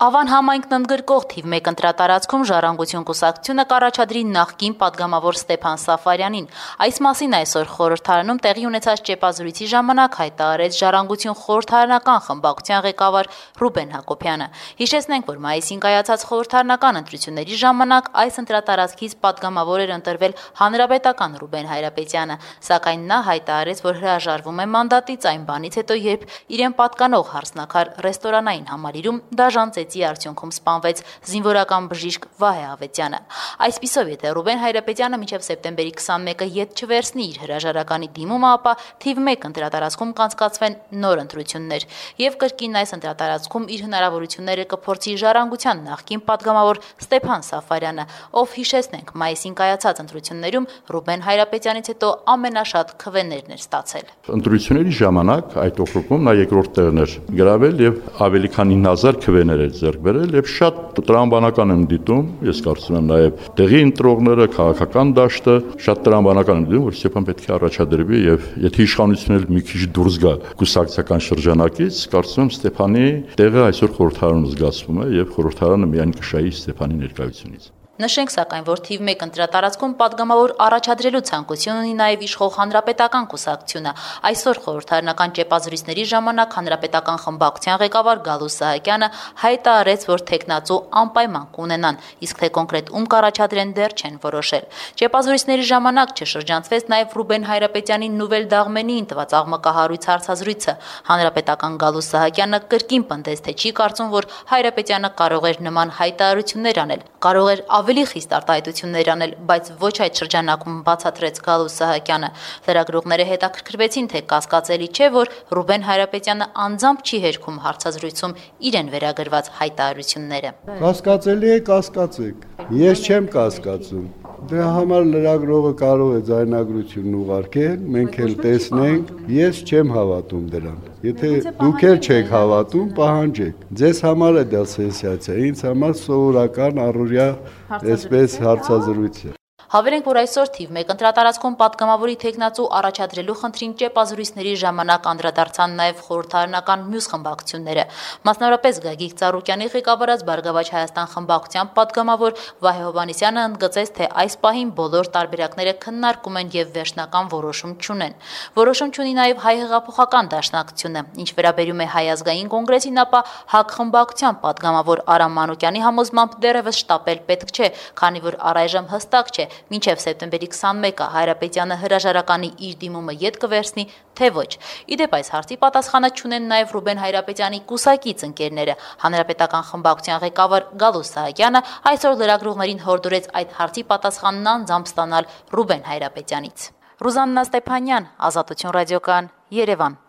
Ավան համայնքն ընդգրկող թիվ 1 ընտրատարածքում Ժառանգություն կուսակցությունը կառաջադրի նախկին պատգամավոր Ստեփան Սաֆարյանին։ Այս մասին այսօր խորհրդարանում տեղի ունեցած ճեպազրույցի ժամանակ հայտարարեց Ժառանգություն խորհրդարանական խմբակցության ղեկավար Ռուբեն Հակոբյանը։ Հիշեցնենք, որ մայիսին կայացած խորհրդարանական ընտրությունների ժամանակ այս ընտրատարածքից պատգամավոր էր ընտրվել հանրապետական Ռուբեն Հայրապետյանը, սակայն նա հայտարարեց, որ հրաժարվում է մանդատից այն բանից հետո, երբ իրեն պատկանող հարսնաքար ռեստորանային համալիրում դաժան արդյունքում սպանվեց զինվորական բժիշկ Վահե Ավետյանը։ Այսպիսով, եթե Ռուբեն Հայրապետյանը մինչև սեպտեմբերի 21-ը ետ չվերցնի իր հրաժարականի դիմումը, ապա թիվ 1 ընտրատարածքում կանցկացվեն նոր ընտրություններ եւ կրկին այս ընտրատարածքում իր հնարավորությունները կփորձի Ժառանգության նախկին պատգամավոր Ստեփան Սաֆարյանը, ով հիշեցնենք մայիսին կայացած ընտրություններում Ռուբեն Հայրապետյանից հետո ամենաշատ քվեներն էր ստացել։ Ընտրությունների ժամանակ այդ օկրուգում նա երկրորդ տեղն էր գրավել եւ ավելի քան 9000 քվեներ ձեռք բերել եւ շատ տրամաբանական եմ դիտում, ես կարծում եմ նաեւ տեղի ընտրողները, քաղաքական դաշտը շատ տրամաբանական եմ դիտում, որ Ստեփան պետք է առաջադրվի եւ եթե իշխանությունն էլ մի քիչ դուրս գա կուսակցական շրջանակից, կարծում եմ Ստեփանի տեղը այսօր խորհրդարանում զգացվում է եւ խորհրդարանը միայն կշահի Ստեփանի ներկայությունից։ Նշենք սակայն, որ թիվ 1 ընտրատարածքում պատգամավոր առաջադրելու ցանկություն ունի նաև իշխող հանրապետական կուսակցությունը։ Այսօր խորհրդարանական ճեպազրույցների ժամանակ հանրապետական խմբակցության ղեկավար Գալուս Սահակյանը հայտարարեց, որ տեխնացու անպայման կունենան, իսկ թե կոնկրետ ում կառաջադրեն դեռ չեն որոշել։ Ճեպազրույցների ժամանակ չշրջանցվեց նաև Ռուբեն Հայրապետյանի Նուվել Դաղմենիին տված աղմկահարույց հարցազրույցը։ Հանրապետական Գալուս Սահակյանը կրկին պնդեց, թե չի կարծում, որ Հայրապետյանը կարող էր նման հայտարարություններ անել, կարող էր ավելի խիստ արտահայտություններ անել, բայց ոչ այդ շրջանակում, բացատրեց Գալուս Սահակյանը։ Լրագրողները հետաքրքրվեցին, թե կասկածելի չէ, որ Ռուբեն Հայրապետյանը անձամբ չի հերքում հարցազրույցում իրեն վերագրված հայտարարությունները։ Կասկածելի է, կասկածեք։ Ես չեմ կասկածում։ Դրա համար լրագրողը կարող է ձայնագրությունն ուղարկել, մենք էլ տեսնենք, ես չեմ հավատում դրան։ Եթե դուք էլ չեք հավատում, պահանջեք։ Ձեզ համար է դա սենսացիա, ինձ համար սովորական առօրյա այսպես հարցազրույց է։ Հավելենք, որ այսօր թիվ 1 ընտրատարածքում պատգամավորի տեխնացու առաջադրելու խնդրին ճեպազրույցների ժամանակ անդրադարձան նաև խորհրդարանական մյուս խմբակցությունները։ Մասնավորապես Գագիկ Ծառուկյանի ղեկավարած Բարգավաճ Հայաստան խմբակցության պատգամավոր Վահե Հովհաննիսյանը ընդգծեց, թե այս պահին բոլոր տարբերակները քննարկում են եւ վերջնական որոշում չունեն։ Որոշում չունի նաև Հայ հեղափոխական դաշնակցությունը։ Ինչ վերաբերում է Հայ ազգային կոնգրեսին, ապա ՀԱԿ խմբակցության պատգամավոր Արամ Մանուկյանի համոզմամբ դեռևս շտապել պետք չէ, քանի որ առայժմ հստակ չէ մինչև սեպտեմբերի 21-ը Հայրապետյանը հրաժարականի իր դիմումը ետ կվերցնի, թե ոչ։ Իդեպ այս հարցի պատասխանը չունեն նաև Ռուբեն Հայրապետյանի կուսակից ընկերները։ Հանրապետական խմբակցության ղեկավար Գալուս Սահակյանը այսօր լրագրողներին հորդորեց այդ հարցի պատասխանն անձամբ ստանալ Ռուբեն Հայրապետյանից։ Ռուզաննա Ստեփանյան, Ազատություն ռադիոկայան, Երևան։